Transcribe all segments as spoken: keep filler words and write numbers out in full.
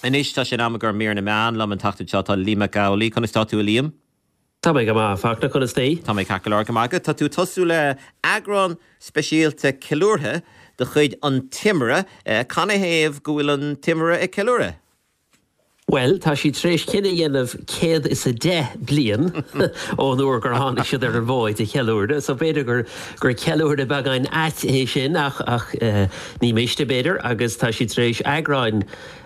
Anois tá sé am gur mír na meán liom an tseachtain seo tá Liam Mac Amhlaigh conas tá tú Liam? Tá mé go maith Fachtna conas é? Tá mé ceart go leor go maith Tá tú tosú le eagrán speisialta ceiliúrtha de chuid an Timire canathaobh go bhfuil an Timire ag ceiliúradh. Well, tá sí tar éis cinneadh a dhéanamh céad is a deich bliain ón uair gur tháinig siad ar an bhfód a cheiliúradh, so b'fhéidir gur gur ceiliúradh beagán ait é sin ach ach uh, ní miste b'fhéidir agus tá sí tar éis eagrán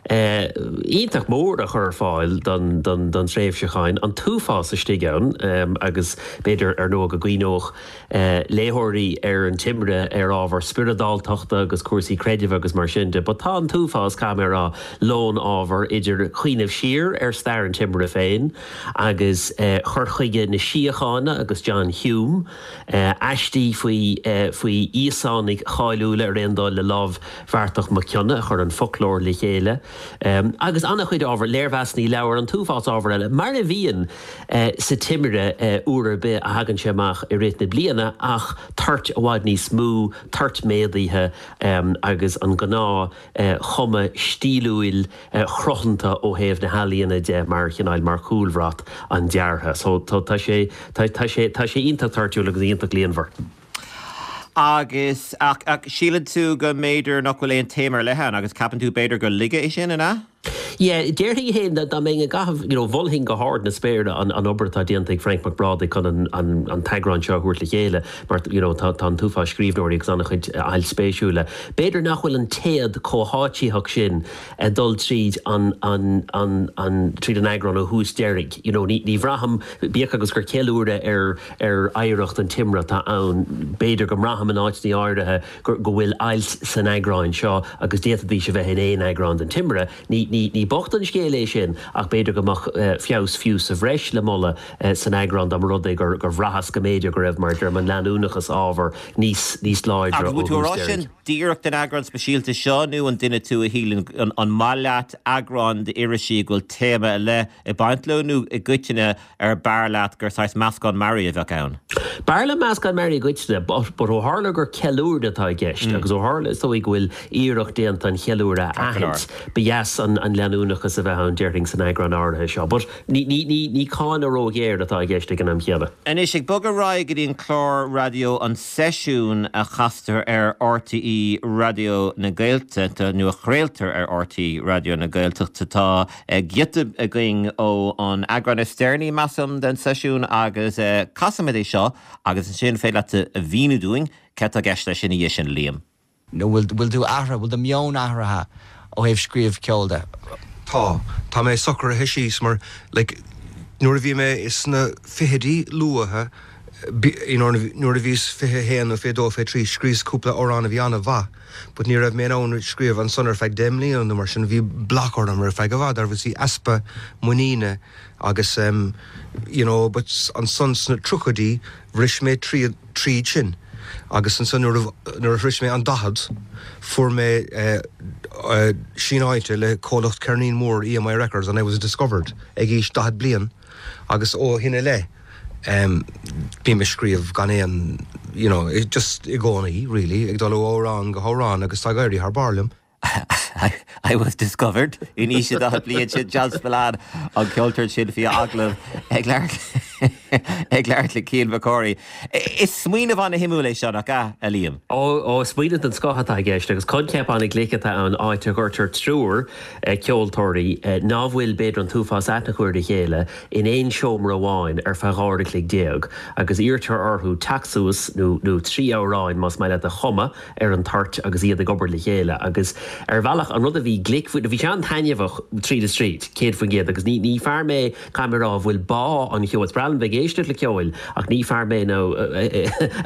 uh, iontach mór a chur ar fáil don, don, don tréimhseachán an t-uafás istigh ann um, agus b'fhéidir ar ndóigh go gcuimhneodh uh, léitheoirí ar an Timire ar ábhar spioradáltachta agus cúrsaí creidimh agus mar sin de, but tá an t-uafás camerá lón ábhar idir cuimhneamh siar ar stair an Timire féin agus uh, chur chuige na síochána agus John Hume uh, aistí faoi uh, faoi Íosánaigh cháiliúla ar aon dul le Lámhbheartach Mac Cionnaith a chur an foclóir le chéile. Um, agus an-chuid ábhar léirmheasanna leabhar an t-uafás ábhar eile, mar a bhíonn uh, sa Timire uh, uair ar bith a thagann sé amach i rith na bliana ach toirt i bhfad níos mó toirt méadaithe um, agus an gnáth uh, chuma stíliúil uh, chruthanta ó thaobh na healaíona de mar chineál mar chúlbhrat an deartha. So tá sé tá sé tá sé iontach toirtiúil agus iontach líonmhar. Agus ach, ach síleann tú go mb'fhéidir nach bhfuil aon téama le han agus ceapann tú b'fhéidir gur lige é sin ina? Yeah, déarfainn féin dá mé gah you know, mholfainn go hard na spéire an, an obair atá déanta ag Frank Mac Brádaigh chun an, an, an t-eagrán seo a thabhairt le chéile, mar you know, tá, tá an t-uafás scríbhneoirí agus an-chuid ailt spéisiúla. B'fhéidir nach bhfuil an téad comhtháiteach sin uh, dul tríd an, an, an, an, tríd an eagrán ó thús deireadh. You know, ní, ní bhraithim bíodh agus gur ceiliúradh ar ar oidhreacht an Timire tá ann b'fhéidir go mbraithim in áiteanna áirithe go bhfuil ailt san eagrán seo agus d'fhéadfaidís a bheith in aon eagrán den Timire. Ní, ní, ní bocht an scéal é sin ach b'fhéidir go mbeadh uh, feabhas fiú sa bhreis le moladh uh, san eagrán dá rud é gur gur bhraitheas go mb'fhéidir go raibh mar der an leanúnachas ábhar níos níos láidre Agus tú rá sin díreach den eagrán speisialta seo nó an duine tú a shíleann an, an maith leat eagrán d'irisí go bhfuil téama le ag baint leo nó i gcoitinne ar b'fhearr leat gur saghas meascán mearaí a bheadh ann. B'fhearr liom meascán mearaí i gcoitinne, but ó tharla gur ceiliúradh atá i gceist mm. agus ó tharla is dóigh go bhfuil iarracht déanta an cheiliúradh a aithint ba dheas an, an leanúnachas a bheith ann déarfainn san eagrán áirithe seo, but ní, ní, ní, ní cáineadh róghéar atá i gceist ag an am chéanna. Anois ag bogadh ar aghaidh go dtí an clár raidió an seisiún a chastar ar RTÉ Raidió na Gaeltachta nó a chraoltar ar RTÉ Raidió na Gaeltachta tá giota againn ó an eagrán is deireanaí measaim den seisiún agus casfaimid é seo agus ansin féidir leat a mhíniú dúinn cad tá i gceist leis sin i sin Liam. No bhfuil bhfuil tú athraithe bhfuil do mheon athraithe ó thaobh scríobh ceoil de. Tá Tá mé socraithe síos mar like, nuair a bhí mé sna fichidí luatha nuair a bhíos fiche haon nó fiche dó fiche trí scríos cúpla amhrán a bhí an-mhaith, but ní raibh mé ann scríobh ansan ar feadh deich mbliana nó mar sin bhí block orm ar feadh i bhfad ar bhí easpa muiníne agus um, you know, but ansan sna tríochaidí bhris mé tríd tríd sin. agus ansan nuair a shroich mé an daichead fuair mé uh, uh, síneáilte le comhlacht ceirnín mór EMI Records and I was discovered ag aois daichead bliain agus ó shin i leith. Um, bím ag scríobh gan aon you know, just i gcónaí really ag dul ó amhrán go hamhrán agus tá ag éirí thar barr liom. I, I was discovered in aois daichead bliain sin John Spillane an ceoltóir sin faoi agallamh ag ag labhairt le Cian McCorry. Is smaoineamh an-shuimiúil é seo nach ea a Liam. Ó ó smaoineamh den scoth atá i gceist agus coincheap an-ghlic atá ann áit a gcuirtear triúr ceoltóirí nach bhfuil b'fhéidir an t-uafás aithne acu ar a chéile in aon seomra amháin ar feadh dhá uair a chloig déag agus iarrtar orthu teacht suas nó nó trí amhrán más maith leat a chumadh ar an toirt agus iad ag obair le chéile agus ar bhealach an rud a bhí glic bhí sé an-taitneamhach tríd is tríd céad faoin gcéad agus ní ní fear mé camerá bhfuil bá an cheoil is breá liom bheith ag éisteacht le ceol ach ní fear mé nó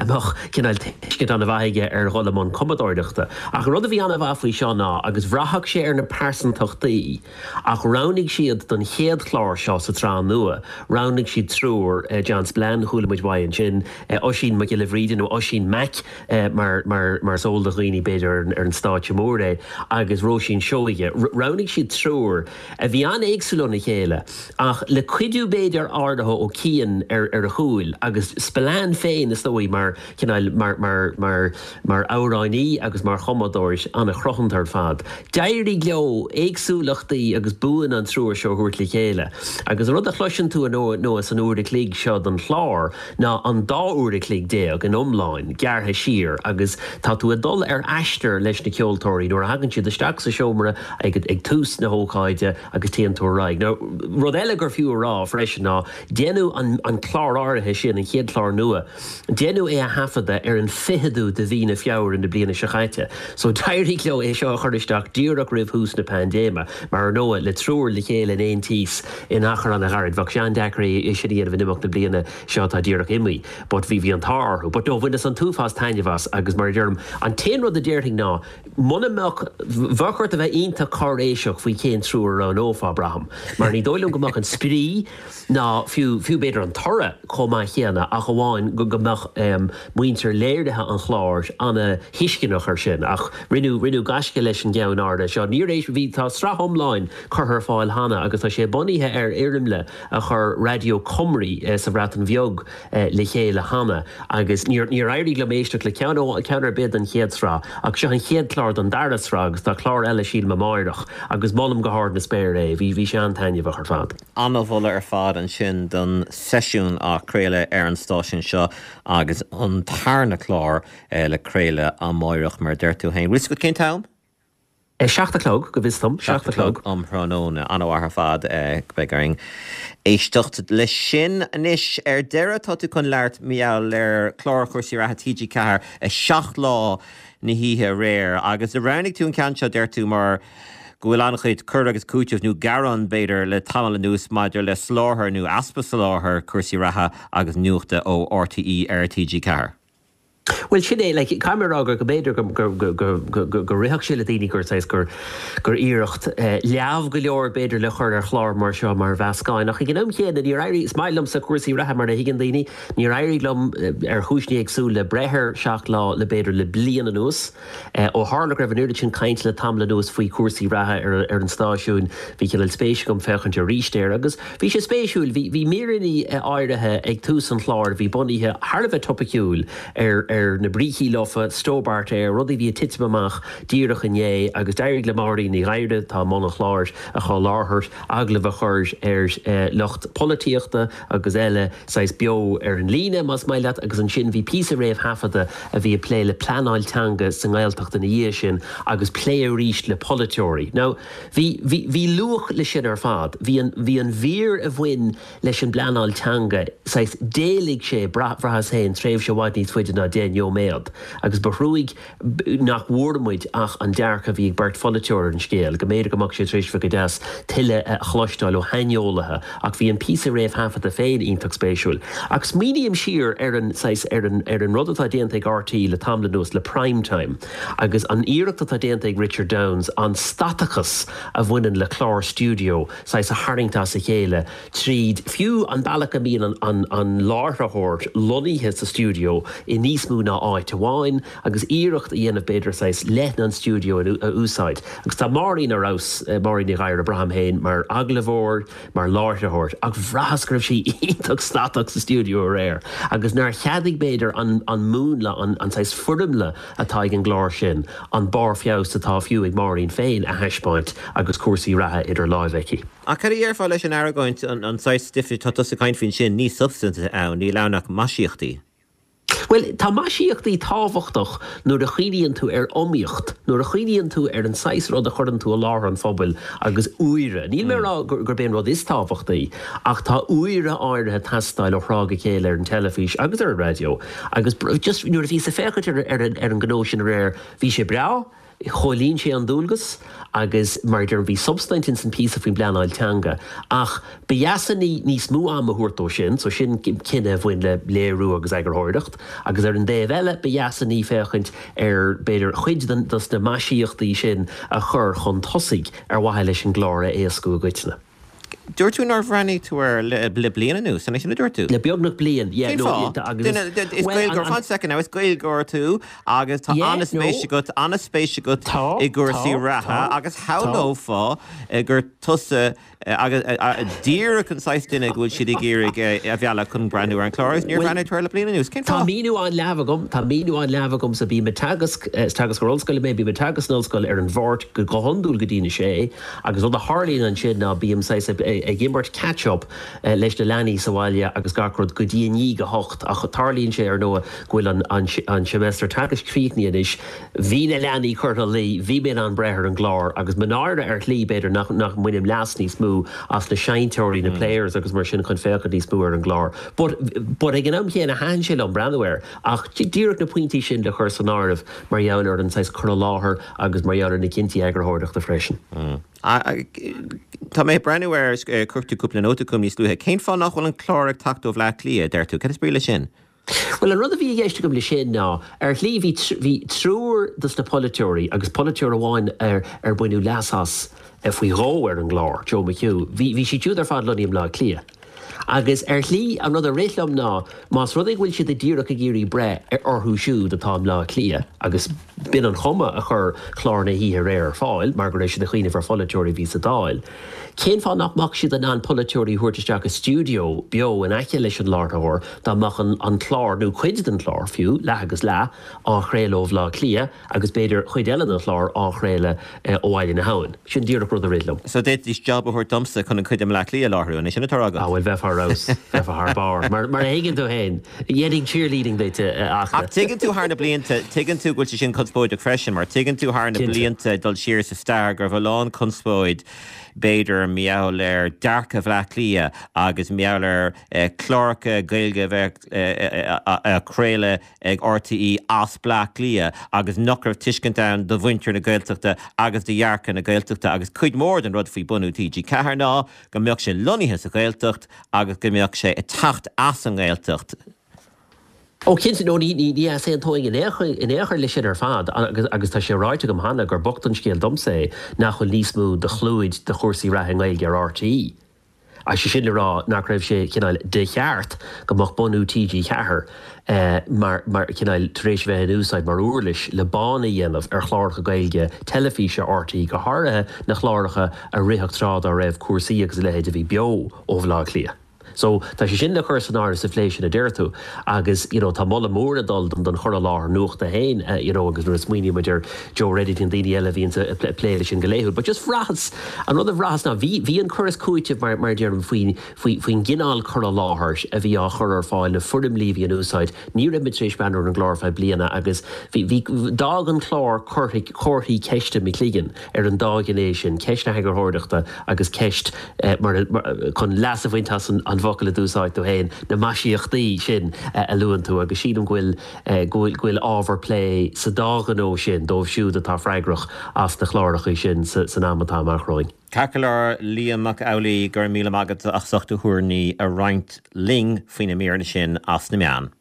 amach cineál tuiscint an-mhaith aige ar dhul i mbun cumadóireachta. Ach an rud a bhí an-mhaith faoi seo ná agus bhraithfeadh sé ar na pearsantachtaí ach roghnaigh siad don chéad chlár seo sa tsraith nua, roghnaigh siad triúr John Spillane chuala muid uaidh ansin, Oisín Mac Giolla Bhríde nó Oisín Mac mar mar mar is eol do dhaoine b'fhéidir ar an stáitse mór é agus Róisín Seoige. Roghnaigh siad triúr a bhí an-éagsúil óna chéile ach le cuidiú b'fhéidir áirithe ó Cian Spillane ar ar a chúil agus Spillane féin is dóigh mar cineál mar mar mar mar amhránaí agus mar chumadóir an-chruthanta ar fad. D'éirigh leo éagsúlachtaí agus buanna an triúr seo a thabhairt le chéile. Agus an rud a chloiseann tú nó san uair a chloig seo den chlár ná an dá uair a chloig déag in iomlán gearrtha siar agus tá tú ag dul ar aistear leis na ceoltóirí nuair a thagann siad isteach sa seomra ag ag tús na hócáide agus téann tú ar aghaidh. Now, rud eile gur fiú a rá freisin ná déanadh an, an clár áirithe sin an chéad chlár nua. Déanadh é a thaifeadadh ar an fichiú de mhí na Feabhra na bliana seo caite. So d'éirigh leo é seo a chur isteach díreach roimh thús na paindéime, mar nó le triúr le chéile in aon tíos in achar an-ghairid bheadh sé an-deacair é sin a dhéanamh in imeacht na bliana seo atá díreach imithe, but bhí bhí an t-ádh orthu. But no bhaineas an t-uafás taitneamh as agus mar a deirim an t-aon rud a déarfainn ná muna mbeadh bheadh ort a bheith iontach cáiréiseach faoi cén triúr a roghnófá braithim. Mar ní dóigh liom go mbeadh an spraoi ná fiú fiú b'fhéidir an toradh chomh maith céanna ach amháin go go mbeadh um, muintir léirithe an chláir an-tuisceanach ar sin ach rinneadh rinneadh gaisce leis an gceann áirithe seo. Níor éis bhí tá sraith iomlán curtha ar fáil cheana agus tá sé bunaithe ar fhoirmle a chuir Raidió Cymru eh, sa Bhreatain Bheag eh, le chéile cheana agus níor níor éirigh liom éisteacht le ceann ceann ar bith den chéad sraith ach seo an chéad chlár den dara sraith agus tá clár eile sílim amárach agus molaim go hard na spéire é, bhí bhí sé an-taitneamhach ar fad. An-mholadh ar fad ansin don seisiún á chraoladh ar an stáisiún seo agus an tarna clár eh, le craoladh amárach mar deir tú féin. Ris go cén t-am? E seacht a chlog go bhfios dom seacht a chlog. Um thráthnóna an-mhaith ar fad beidh orainn éisteacht leis sin anois ar deireadh tá tú chun labhairt mar gheall ar chlár chúrsaí reatha TG Ceathair a seacht lá na hoíche aréir agus a roghnaigh tú an ceann seo deir tú mar go bhfuil an-chuid cur agus cúiteamh nó gearán b'fhéidir le tamall anuas maidir le soláthar nó easpa soláthar cúrsaí reatha agus nuachta ó RTÉ ar TG Ceathair. Well sin é le camerá gur go b'fhéidir go rithfeadh sé le daoine gur saghas gur gur iarracht leamh go leor b'fhéidir le chur ar chlár mar seo mar mheascán ach ag an am chéanna níor éirigh is maith liomsa cúrsaí reatha mar a thuigeann daoine níor éirigh liom ar chúiseanna éagsúla le breith ar seacht lá le b'fhéidir le bliain anuas. Ó tharla go raibh an oiread sin caint le tamall anuas faoi cúrsaí reatha ar, ar an stáisiún bhí cineál spéis agam féachaint arís air agus bhí sé spéisiúil bhí míreanna áirithe ag tús an chláir bhí bunaithe thar a bheith topaiciúil ar ar na brící lofa Stobart Air rudaí bhí ag titim amach díreach inné agus d'éirigh le Máirín Ní Ghadhra atá i mbun an chláir a chur láthair agallamh a chur ar eh, lucht polaitíochta agus eile saghas beo ar an líne más maith leat agus ansin bhí píosa réamhthaifeadta a bhí ag plé le pleanáil teanga sa nGaeltacht ina dhiaidh sin agus plé arís le polaiteoirí. Now bhí bhí bhí luach le sin ar fad, bhí an bhí an mhír a bhain leis an bpleanáil teanga saghas d'éiligh sé bhraitheas féin tréimhse i bhfad níos faide ná deich nóiméad agus ba thrua nach bhfuair muid ach an dearcadh a bhí ag beirt pholaiteoir ar an scéal, go mb'fhéidir go mbeadh sé tar éis bheith go deas tuilleadh a chloisteáil ó shaineolaithe ach bhí an píosa réamhthaifeadta féin iontach spéisiúil. Ach smaoiním siar ar an ar an ar an rud atá déanta ag RTÉ le tamall anuas le prime time agus an iarracht atá déanta ag Richard Downs an statachas a bhaineann le clár studio saghas a tharraingt as a chéile tríd fiú an bealach a mbíonn an, an, an láithreoir lonnaithe sa studio i níos mó ná áit amháin agus iarracht a dhéanamh b'fhéidir saghas leithne an studio a úsáid. Agus tá Máirín ar fheabhas Máirín Ní Ghadhra braithim féin mar agallóir mar láithreoir ach bhraitheas go raibh sí iontach statach sa studio aréir agus nár cheadaigh b'fhéidir an, an múnla an, an saghas foirmle atá ag an gclár sin an barr feabhais atá fiú ag Máirín féin a thaispeáint agus cúrsaí reatha idir lámha aici. Ach cad a dhéarfá leis an argóint an, an saghas stuif tá tusa ag caint faoin sin ní substaint ann níl ann ach maisíochtaí. Well tá maisíochtaí tábhachtach nuair a chuimhníonn tú ar iomaíocht, nuair a chuimhníonn tú ar an saghas rud a chuireann tú i láthair an phobail agus úire. Níl mé rá gur b'é an rud is tábhachtaí, ach tá úire áirithe ag teastáil ó thráth go chéile ar an teilifís agus ar an raidió. agus just nuair a bhíos ag féachaint ar, ar, ar an gnó sin aréir, bhí sé breá, Chomhlíon sé an dualgas agus mar deir bhí substaint in san píosa faoin bpleanáil teanga ach ba dheas an ní níos mó ama a thabhairt dó sin, so sin cinneadh a bhain le léiriú agus eagarthóireacht, agus ar an dtaobh eile ba dheas an ní féachaint ar b'fhéidir chuid den dos na maisíochtaí sin a chur chun tosaigh ar mhaithe leis an gclár a éascú i gcoitinne. Dúirt tú nár bhreathnaigh tú air le le bliain anuas, an é sin a dúirt tú? Le beagnach bliain, yeah, Cén no, fáth? agus- Duine- Is Well, Gaeilgeoir, an- fan second now, is Gaeilgeoir tú agus tá Yeah, an-spéis no. agat, an-spéis agat Tá, i gcúrsaí tá, reatha tá, agus shamhlófá eh, gur tusa eh, agus eh, eh, díreach an saghas duine go bhfuil siad ag iarraidh eh, a mhealladh chun breathnú ar an chlár agus níor Well, bhreathnaigh tú air le bliain anuas. Cén Tá fáth? míniú an-leamh agam, Tá míniú an-leamh agam sa bím ag teagasc is teagascóir ollscoile mé bím ag teagasc san ollscoil ar an Mháirt go go hiondúil go dtí a sé, agus rud a tharlaíonn ansin ná bím saghas ag ag imirt catch-up eh, leis na leanaí sa bhaile agus gach rud go dtí i ndiaidh a hocht ach tarlaíonn sé ar ndóigh go bhfuil an, an, an semester teagaisc críochnaithe anois, bhí na leanaí curtha a luí, bhí mé in ann breith ar an gclár agus mo náire ar shlí b'fhéidir nach, nach mbainim leas níos mó as na seinnteoirí na players agus mar sin chun féachaint níos mó ar an gclár. But, but ag an am chéanna thaitin sé liom breathnú air ach díreach na pointí sin le chur san áireamh mar gheall ar an saghas cur i láthair agus mar gheall ar na cinntí eagarthóireachta freisin. Tá mé ag breathnú air chuir tú cúpla nóta chugam níos luaithe. Cén fáth nach bhfuil an clár ag teacht ó Bhleá Cliath, deir tú, Cad is brí leis sin? Well an rud a bhí i gceist agam le sin ná ar shlí bhí bhí triúr dos na polaiteoirí agus polaiteoir amháin ar ar baineadh leas as eh, faoi dhó ar an gclár, Joe McHugh. Bhí bhí siad siúd ar fad lonnaithe i mBleá Cliath. Agus ar shlí an rud a rith liom ná más rud é go bhfuil siad díreach ag iarraidh breith ar orthu siúd atá i mBleá Cliath agus b'in an chuma a chuir clár na hoíche aréir ar fáil mar go raibh siad ag cuimhneamh ar pholaiteoirí bhí sa Dáil. Cén fáth nach mbeadh siad in ann polaiteoirí a thabhairt isteach i stiúideo beo in aice leis an láithreoir dá mbeadh an, an clár nó cuid den chlár fiú leath agus leath á chraoladh ó Bhleá Cliath agus b'fhéidir cuid eile den chlár á chraoladh eh, ó Bhaile na hAbhann. Sin díreach rud a rith liom. So d'fhéadfaidís job a thabhairt domsa chun an chuid i mBleá Cliath a láithriú, an é sin atá agat. Ah, well bheifeá ar fheabhas bheifeá thar barr. Mar mar a thuigeann tú féin, dhéanfainn cheerleading duit Ach ach tuigeann tú thar na blianta, tuigeann tú go bhfuil sé sin conspóideach freisin, mar tuigeann tú thar na Cinnte. blianta dul siar sa stair go raibh a lán conspóid b'fhéidir mar gheall ar dearcadh Bhleá Cliath agus mar gheall ar eh, cláracha Gaeilge bheith eh, eh, craolta ag RTÉ as Bleá Cliath agus nach raibh tuiscint ann do mhuintir na Gaeltachta agus do dhearcadh na Gaeltachta agus cuid mór den rud faoi bunú TG Ceathair ná go mbeadh sé lonnaithe sa Ghaeltacht agus go mbeadh sé ag teacht as an nGaeltacht. Ó cinnte nó ní ní ní aontóinn in aon chor leis sin ar fad agus agus tá sé ráite agam cheana gur bocht an scéal domsa é nach bhfuil níos mó de chlúid de chúrsaí reatha i nGaeilge ar RTÉ. A sé sin le rá nach raibh sé cineál de cheart go mbeadh bunú TG Ceathair eh, mar mar cineál tar éis bheith in úsáid mar uirlis le bá a dhéanamh ar chláracha Gaeilge teilifíse RTÉ go háirithe na cláracha a ritheadh tráth dá raibh cúrsaí agus a leithéid a bhí beo ó Bhleá Cliath. So tá sé sin le chur san áireamh sa phlé sin a deir tú agus you know, tá moladh mór ag dul don don chur i láthair nuachta féin uh, you know, agus nuair a smaoinímid ar Joe Reddington daoine eile bhíonn ag plé leis sin go laethúil. But just bhraitheas an rud a bhraitheas ná bhí bhí an cur is cúiteamh mar mar deirim faoin faoi faoin gcineál cur i láthair a bhí á chur ar fáil na foirmlí bhí in úsáid ní raibh mé tar éis breathnú ar an gclár feadh bliana agus bhí bhí d'fhág an clár comharthaí ceiste i mo chloigeann ar an dá ghné sin ceist na heagarthóireachta agus ceist eh, mar, mar chun leas a bhaint as an, an bhfocal a d'úsáid tú féin na maisíochtaí sin eh, a luann tú agus sílim go bhfuil eh, go bhfuil go bhfuil ábhar plé sa dá ghnó sin dóibh siúd atá freagrach as na cláracha sin sa, san am atá amach romhainn. Ceart go leor Liam Mac Amhlaigh go raibh míle maith agat as ucht do thuairimí a roinnt linn faoi na míreanna sin as na meáin.